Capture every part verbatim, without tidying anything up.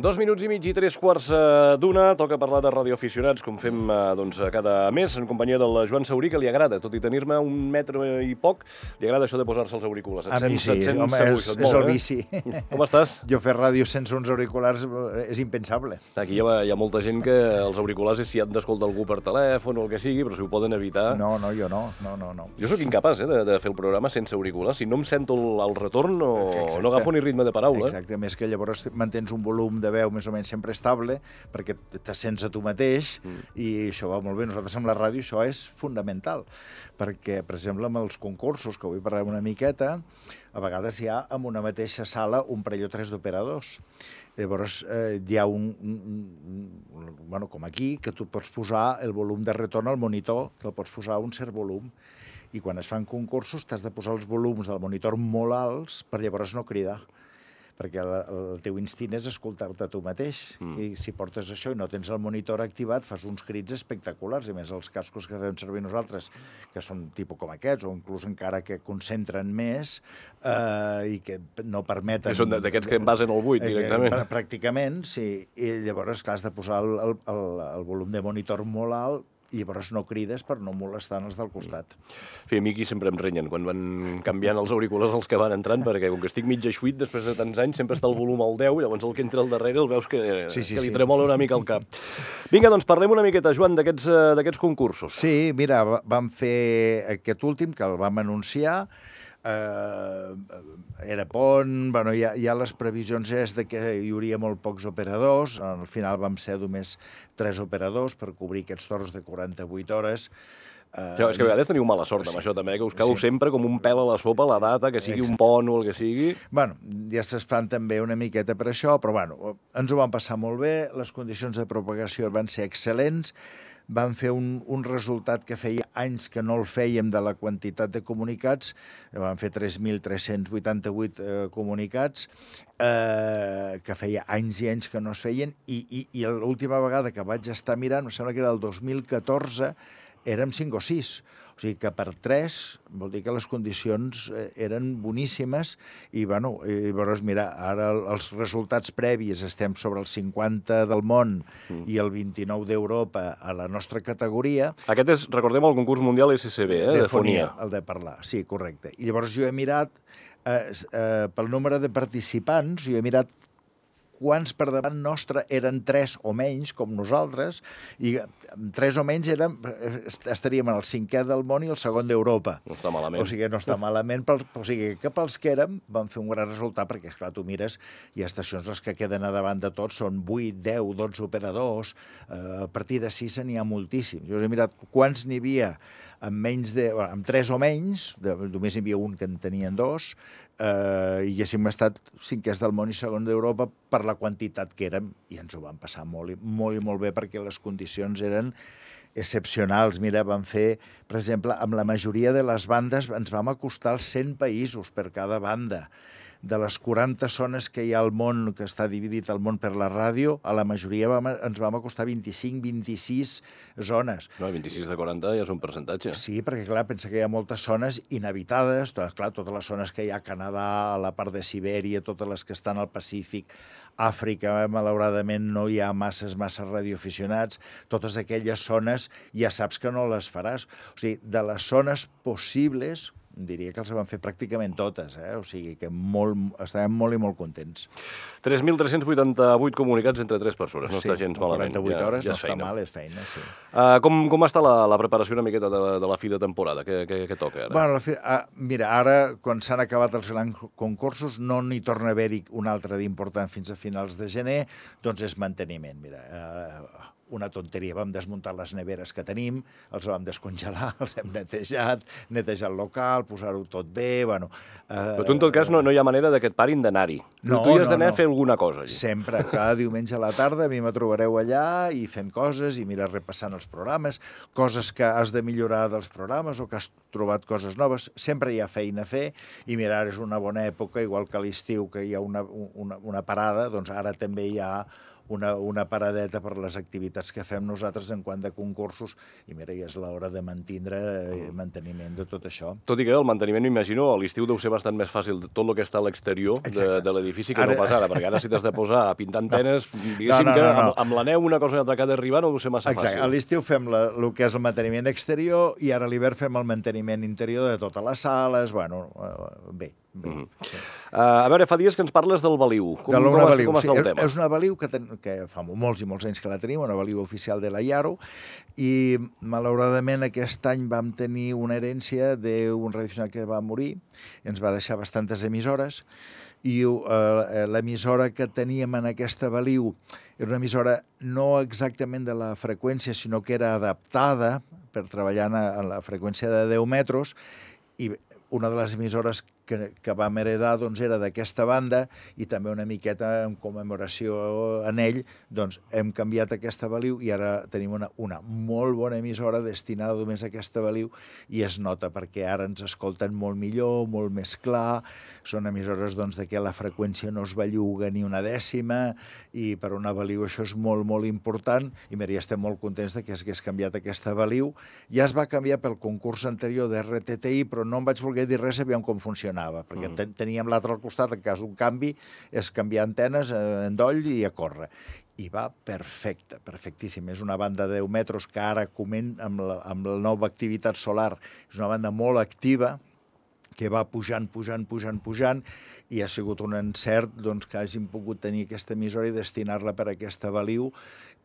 Dos minuts i mig i tres quarts d'una. Toca parlar de radioaficionats, com fem doncs, cada mes, en companyia del Joan Saurí, que li agrada, tot i tenir-me un metre i poc, li agrada això de posar-se els auriculars. A mi sí, home, és, és el vici. Com estàs? Jo fer ràdio sense uns auriculars és impensable. Aquí hi ha, hi ha molta gent que els auriculars és si han d'escoltar algú per telèfon o el que sigui, però si ho poden evitar... No, no, jo no, no, no. no. Jo sóc incapaç eh, de, de fer el programa sense auriculars. Si no em sento el, el retorn, no, no agafo ni ritme de paraula. Exacte, més que llavors mantens un volum de veu més o menys sempre estable, perquè te sents a tu mateix, mm. i això va molt bé. Nosaltres amb la ràdio això és fundamental, perquè, per exemple, amb els concursos, que avui parlem una miqueta, a vegades hi ha en una mateixa sala un parell o tres d'operadors. Llavors eh, hi ha un, un, un... Bueno, com aquí, que tu pots posar el volum de retorn al monitor, que el pots posar a un cert volum, i quan es fan concursos t'has de posar els volums del monitor molt alts per llavors no cridar, perquè el, el teu instint és escoltar-te a tu mateix. Mm. I si portes això i no tens el monitor activat, fas uns crits espectaculars. I més els cascos que fem servir nosaltres, que són tipus com aquests, o inclús encara que concentren més eh, i que no permeten... Que són d'aquests que envasen el buit, directament. Eh, pràcticament, sí. I llavors, clar, has de posar el, el, el, el volum de monitor molt alt, i llavors no crides per no molestar els del costat. Sí, a mi aquí sempre em renyen quan van canviant els auriculars els que van entrant, perquè com que estic mig eixuit després de tants anys, sempre està el volum al deu, llavors el que entra al darrere el veus que, sí, sí, que li sí. tremola una mica el cap. Vinga, doncs parlem una miqueta, Joan, d'aquests concursos. Sí, mira, vam fer aquest últim, que el vam anunciar, Uh, era pont, bueno, ja, ja les previsions és de que hi hauria molt pocs operadors, al final vam ser només tres operadors per cobrir aquests torns de quaranta-vuit hores. Uh, ja, és que a vegades teniu mala sort amb sí, això també, que us cau sí. sempre com un pèl a la sopa la data, que sigui Exacte. un pont o el que sigui. Bueno, ja es fan també una miqueta per això, però bueno, ens ho vam passar molt bé, les condicions de propagació van ser excel·lents, vam fer un, un resultat que feia anys que no el fèiem de la quantitat de comunicats, vam fer tres mil tres-cents vuitanta-vuit eh, comunicats, eh, que feia anys i anys que no es feien, i, i, i l'última vegada que vaig estar mirant, em sembla que era el dos mil catorze, érem cinc o sis. O sigui que per tres vol dir que les condicions eren boníssimes i, bueno, i, llavors, mira, ara els resultats previs estem sobre el cinquanta del món mm. i el vint-i-nou d'Europa a la nostra categoria. Aquest és, recordem, el concurs mundial S S B, eh, de, de fonia. El de parlar, sí, correcte. I llavors jo he mirat, eh, eh, pel nombre de participants, jo he mirat quants per davant nostre eren tres o menys, com nosaltres, i tres o menys érem, estaríem en el cinquè del món i el segon d'Europa. No està malament. O sigui, no està malament, per, o sigui, que pels que érem vam fer un gran resultat, perquè, esclar, tu mires, hi ha estacions les que queden a davant de tots, són vuit, deu, dotze operadors, eh, a partir de sis n'hi ha moltíssims. Jo he mirat quants n'hi havia amb menys de, amb tres o menys, de, només hi havia un que en tenien dos, eh, i haguéssim estat cinquers del món i segon d'Europa per la quantitat que érem, i ens ho vam passar molt i molt, i molt bé perquè les condicions eren excepcionals. Mira, vam fer, per exemple, amb la majoria de les bandes ens vam acostar als cent països per cada banda. De les quaranta zones que hi ha al món, que està dividit el món per la ràdio, a la majoria vam, ens vam acostar vint-i-cinc vint-i-sis zones. No, vint-i-sis de quaranta ja és un percentatge. Sí, perquè, clar, pensa que hi ha moltes zones inhabitades, tot, clar, totes les zones que hi ha a Canadà, a la part de Sibèria, totes les que estan al Pacífic, Àfrica, malauradament, no hi ha masses, masses radioaficionats, totes aquelles zones ja saps que no les faràs. O sigui, de les zones possibles, diria que els van fer pràcticament totes, eh? O sigui que molt, estàvem molt i molt contents. tres mil tres-cents vuitanta-vuit comunicats entre tres persones, no sí, està gens malament. quaranta-vuit hores ja, ja no està mal, és feina, sí. Uh, com, com està la, la preparació una miqueta de, de la fi de temporada? Què, què, què toca ara? Bueno, la fi, ah, mira, ara, quan s'han acabat els grans concursos, no n'hi torna a haver-hi un altre d'important fins a finals de gener, doncs és manteniment, mira. Uh, una tonteria, vam desmuntar les neveres que tenim, els vam descongelar, els hem netejat, netejat el local, posar-ho tot bé, bueno... Eh, Però tu, en tot cas, no, no hi ha manera que et parin d'anar-hi. No, tu hi has no, d'anar no. a fer alguna cosa. Allí. Sempre, cada diumenge a la tarda a mi me trobareu allà i fent coses i mira, repassant els programes, coses que has de millorar dels programes o que has trobat coses noves. Sempre hi ha feina a fer i mira, ara és una bona època, igual que a l'estiu que hi ha una, una, una parada, doncs ara també hi ha una, una paradeta per les activitats que fem nosaltres en quant de concursos, i mira, ja és l'hora de mantindre eh, manteniment de tot això. Tot i que el manteniment, m'imagino, a l'estiu deu ser bastant més fàcil tot el que està a l'exterior de, de l'edifici que ara... no pas ara, perquè ara si t'has de posar a pintar antenes, no. diguéssim no, no, no, no. que amb, amb la neu una cosa i altra que ha d'arribar no deu ser massa Exacte. fàcil. A l'estiu fem la, el que és el manteniment exterior i ara a l'hivern fem el manteniment interior de totes les sales, bueno, bé. Bé. Mm -hmm. sí. uh, a veure, fa dies que ens parles del Baliu. Com, de com, Baliu. com està sí, el tema? És una Baliu que, ten, que fa molts i molts anys que la tenim, una Baliu oficial de la Iaro, i malauradament aquest any vam tenir una herència d'un radioaficionat que va morir, i ens va deixar bastantes emissores, i uh, l'emissora que teníem en aquesta Baliu era una emissora no exactament de la freqüència, sinó que era adaptada per treballar en la freqüència de deu metres, i una de les emissores que, que vam heredar doncs, era d'aquesta banda, i també una miqueta en commemoració en ell, doncs hem canviat aquesta Baliu i ara tenim una, una molt bona emissora destinada només a aquesta Baliu, i es nota perquè ara ens escolten molt millor, molt més clar, són emissores doncs, de què la freqüència no es belluga ni una dècima, i per una Baliu això és molt, molt important, i mira, ja estem molt contents de que s'hagués canviat aquesta Baliu. Ja es va canviar pel concurs anterior d'R T T I, però no em vaig voler dir res, sabíem com funcionava, perquè ten teníem l'altre al costat, en cas d'un canvi, és canviar antenes, eh, endoll i a córrer. I va perfecte, perfectíssim. És una banda de deu metres que ara coment amb la, amb la nova activitat solar, és una banda molt activa, que va pujant, pujant, pujant, pujant, i ha sigut un encert doncs, que hàgim pogut tenir aquesta emissora i destinar-la per a aquesta Baliu,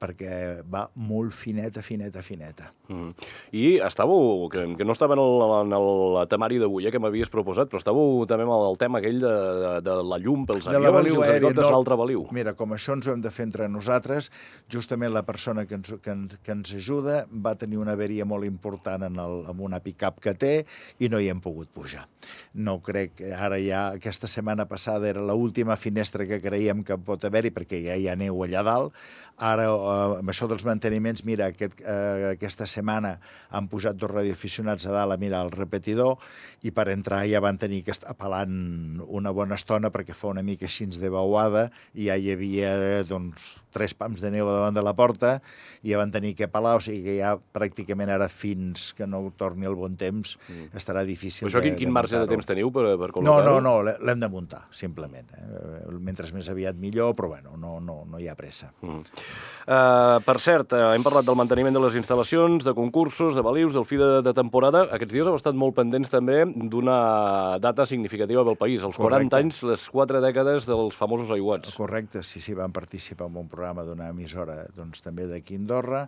perquè va molt fineta, fineta, fineta. Mm. I estàveu, que, que no estava en el, en el temari d'avui, eh, que m'havies proposat, però estàveu també amb el tema aquell de, de, de la llum pels avions i els helicòpters no, l'altre Baliu. Mira, com això ens ho hem de fer entre nosaltres, justament la persona que ens, que, que ens ajuda va tenir una averia molt important en, el, en una pick-up que té i no hi hem pogut pujar. No crec, ara ja, aquesta setmana passada era l'última finestra que creiem que pot haver-hi, perquè ja hi ha neu allà dalt. Ara, eh, amb això dels manteniments, mira, aquest, eh, aquesta setmana han pujat dos radioaficionats a dalt a mirar el repetidor, i per entrar ja van tenir que estar pelant una bona estona perquè fa una mica així de beuada, i ja hi havia doncs, tres pams de neu davant de la porta, i ja van tenir que pelar, o sigui que ja pràcticament ara fins que no torni el bon temps mm. estarà difícil. Però això de, quin, quin de marge de temps teniu per, per col·locar-ho? No, no, no, l'hem de muntar, simplement. Eh? Mentre més aviat millor, però bueno, no, no, no hi ha pressa. Mm. Uh, per cert, uh, hem parlat del manteniment de les instal·lacions, de concursos, de balius, del fi de, de temporada. Aquests dies heu estat molt pendents també d'una data significativa pel país, els quaranta anys, les quatre dècades dels famosos aiguats. Correcte, sí, sí, vam participar en un programa d'una emissora doncs, també d'aquí a Andorra.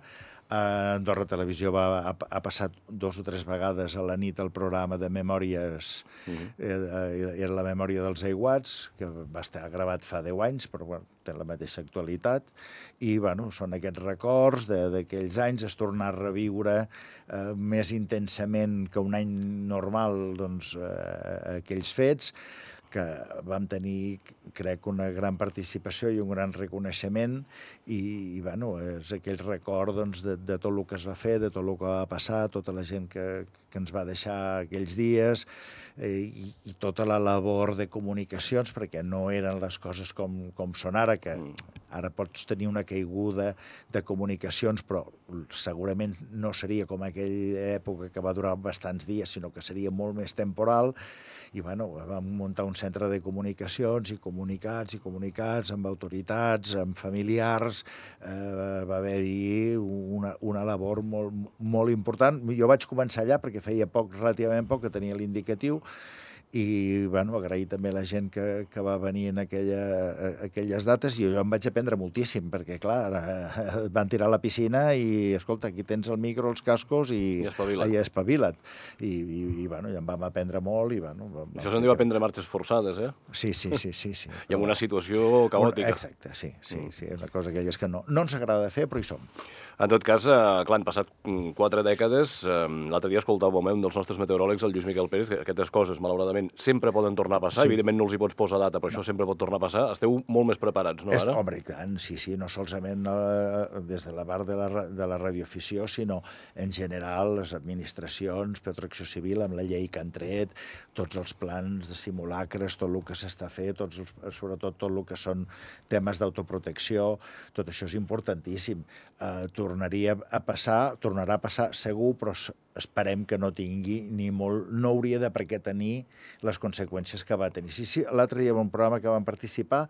Uh, Andorra Televisió va, ha, ha passat dos o tres vegades a la nit el programa de memòries, uh -huh. eh, era la memòria dels aiguats, que va estar gravat fa deu anys, però bueno, té la mateixa actualitat, i bueno, són aquests records d'aquells anys, es torna a reviure eh, més intensament que un any normal doncs, eh, aquells fets, que vam tenir, crec, una gran participació i un gran reconeixement, i, i bueno, és aquell record doncs, de, de tot el que es va fer, de tot el que va passar, tota la gent que, que ens va deixar aquells dies, eh, i, i tota la labor de comunicacions, perquè no eren les coses com, com són ara, que ara pots tenir una caiguda de comunicacions, però segurament no seria com aquella època que va durar bastants dies, sinó que seria molt més temporal, i bueno, vam muntar un centre de comunicacions i comunicats i comunicats amb autoritats, amb familiars, eh, va haver-hi una, una labor molt, molt important. Jo vaig començar allà perquè feia poc, relativament poc, que tenia l'indicatiu, i bueno, agrair també a la gent que, que va venir en aquella, aquelles dates, i jo em vaig aprendre moltíssim, perquè clar, et van tirar a la piscina i, escolta, aquí tens el micro, els cascos i, I espavila't. I espavila't. I, i, i bueno, ja en vam aprendre molt. I, bueno, vam, Això se'n diu aprendre marxes forçades, eh? Sí, sí, sí. sí, sí. I amb una situació caòtica. Exacte, sí, sí, sí, és una cosa aquelles que no, no ens agrada fer, però hi som. En tot cas, eh, clar, han passat mm, quatre dècades. Eh, L'altre dia escoltàvem un dels nostres meteoròlegs, el Lluís Miquel Pérez, que aquestes coses, malauradament, sempre poden tornar a passar. Sí. Evidentment no els hi pots posar data, però no. Això sempre pot tornar a passar. Esteu molt més preparats, no, És, ara? home, i tant, sí, sí, no solament eh, des de la part de la, ra- de la radioafició, sinó en general les administracions, Protecció Civil, amb la llei que han tret, tots els plans de simulacres, tot el que s'està fent, tots els, sobretot tot el que són temes d'autoprotecció, tot això és importantíssim. Eh, tornaria a passar, tornarà a passar segur, però s- esperem que no tingui ni molt, no hauria de per què tenir les conseqüències que va tenir. Sí, sí, l'altre dia en un programa que vam participar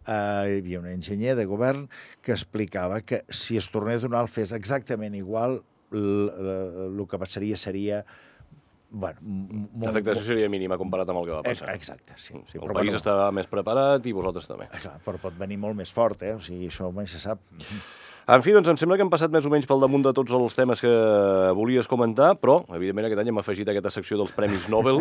eh, hi havia un enginyer de govern que explicava que si es tornés a donar el fes exactament igual, el que passaria seria... Bueno, L'afectació seria mínima comparat amb el que va passar. Exacte, sí. sí el però, país bueno, estava més preparat i vosaltres també. clar, però pot venir molt més fort, eh? O sigui, això mai se sap. En fi, doncs em sembla que hem passat més o menys pel damunt de tots els temes que volies comentar, però, evidentment, aquest any hem afegit aquesta secció dels Premis Nobel.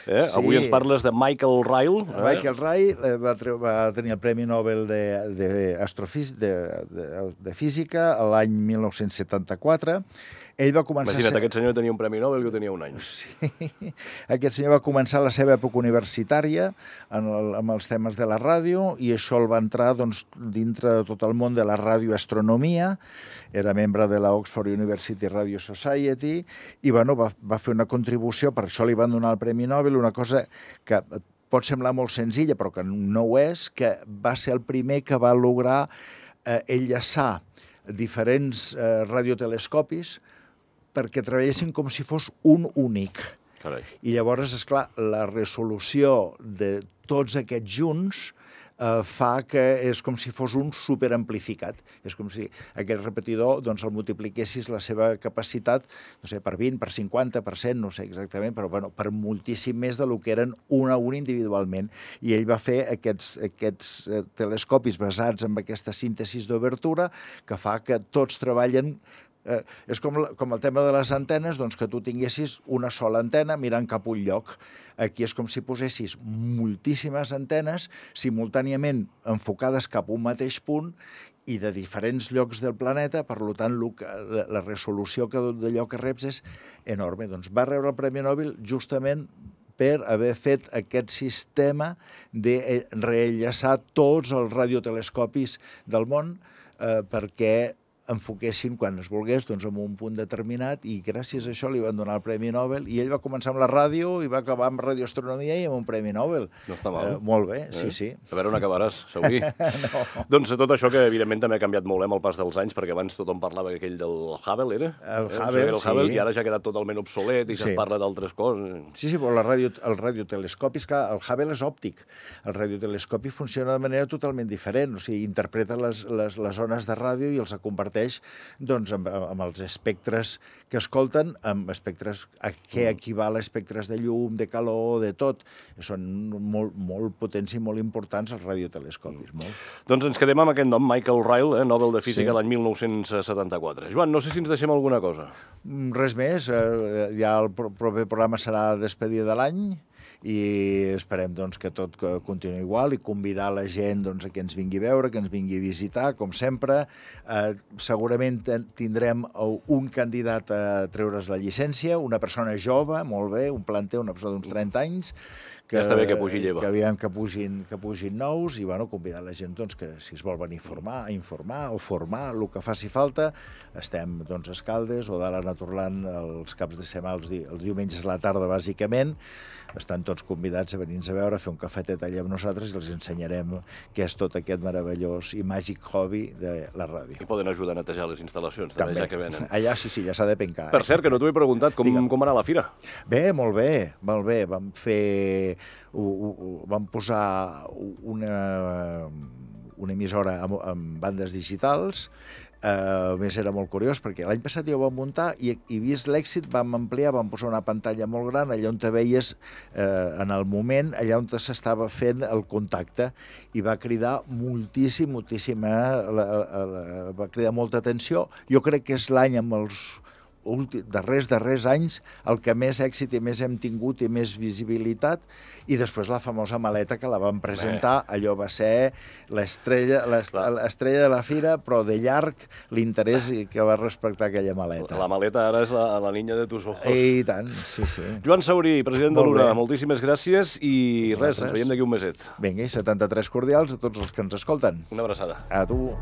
Eh? Sí. Avui ens parles de Michael Ryle. Eh? Michael Ryle va, treu, va tenir el Premi Nobel d'Astrofísica de, de, de, de Física l'any mil nou-cents setanta-quatre. Ell va començar... Imagina't, ser... aquest senyor tenia un Premi Nobel que tenia un any. Sí. Aquest senyor va començar la seva època universitària en el, amb els temes de la ràdio i això el va entrar doncs, dintre de tot el món de la radioastronomia. Era membre de la Oxford University Radio Society i bueno, va, va fer una contribució, per això li van donar el Premi Nobel, una cosa que pot semblar molt senzilla, però que no ho és, que va ser el primer que va lograr eh, enllaçar diferents eh, radiotelescopis perquè treballessin com si fos un únic. Carai. I llavors, esclar, la resolució de tots aquests junts eh, fa que és com si fos un superamplificat. És com si aquest repetidor doncs, el multipliquessis la seva capacitat, no sé, per vint, per cinquanta, per cent, no sé exactament, però bueno, per moltíssim més de lo que eren un a un individualment. I ell va fer aquests, aquests eh, telescopis basats en aquesta síntesis d'obertura que fa que tots treballen. Eh, és com, com el tema de les antenes, doncs que tu tinguessis una sola antena mirant cap a un lloc. Aquí és com si posessis moltíssimes antenes simultàniament enfocades cap a un mateix punt i de diferents llocs del planeta, per tant, la, la resolució que d'allò que reps és enorme. Doncs va rebre el Premi Nobel justament per haver fet aquest sistema de reenllaçar tots els radiotelescopis del món eh, perquè enfoquessin, quan es volgués, doncs, en un punt determinat i gràcies a això li van donar el Premi Nobel i ell va començar amb la ràdio i va acabar amb radioastronomia i amb un Premi Nobel. No està mal. Eh, molt bé, eh? sí, sí. A veure on acabaràs, Saugui. No. Doncs tot això que evidentment també ha canviat molt eh, amb el pas dels anys, perquè abans tothom parlava que aquell del Hubble, era? El eh? Hubble, el sí. Hubble, i ara ja ha quedat totalment obsolet i Sí. se'n parla d'altres coses. Sí, sí, però la radio, el radiotelescopi, és clar, el Hubble és òptic. El radiotelescopi funciona de manera totalment diferent, o sigui, interpreta les, les, les ones de ràdio i els converteix doncs, amb, amb els espectres que escolten, amb espectres a què equival a espectres de llum, de calor, de tot. Són molt, molt potents i molt importants els radiotelescopis. Molt. Doncs ens quedem amb aquest nom, Michael Ryle, eh, Nobel de Física Sí. l'any mil nou-cents setanta-quatre. Joan, no sé si ens deixem alguna cosa. Res més, eh, ja el pro- proper programa serà despedida de l'any i esperem doncs, que tot que continuï igual i convidar la gent doncs, a que ens vingui a veure, que ens vingui a visitar, com sempre. Eh, segurament ten- tindrem un candidat a treure's la llicència, una persona jove, molt bé, un planter, una persona d'uns trenta anys, que, Ja està bé que pugi lleva. que aviam que pugin, que pugin nous i bueno, convidar la gent doncs, que si es vol venir a formar, a informar o formar, el que faci falta. Estem doncs, a Escaldes o d'Ala Naturland els caps de setmana, els, di els diumenges a la tarda, bàsicament. Estan tots convidats a venir-nos a veure, a fer un cafetet allà amb nosaltres i els ensenyarem què és tot aquest meravellós i màgic hobby de la ràdio. I poden ajudar a netejar les instal·lacions, també, També. ja que venen. Allà sí, sí, ja s'ha de pencar. Per Eh? cert, que no t'ho he preguntat, com, Digue'm. com va anar la fira? Bé, molt bé, molt bé. Vam fer... U, u, u, vam posar una, una emissora amb, amb bandes digitals. Eh, a més, era molt curiós, perquè l'any passat ja ho vam muntar i, i vist l'èxit vam ampliar, vam posar una pantalla molt gran, allà on te veies eh, en el moment, allà on s'estava fent el contacte, i va cridar moltíssim, moltíssim, eh, la, la, la, va cridar molta atenció. Jo crec que és l'any amb els darrers, darrers anys, el que més èxit i més hem tingut i més visibilitat, i després la famosa maleta que la vam presentar, allò va ser l'estrella l'estrella de la fira, però de llarg l'interès que va respectar aquella maleta. La maleta ara és la, la niña de tus ojos. I tant, sí, sí. Joan Saurí, president de l'U R A, moltíssimes gràcies i res, ens veiem d'aquí un meset. Vinga, i setanta-tres cordials a tots els que ens escolten. Una abraçada. A tu.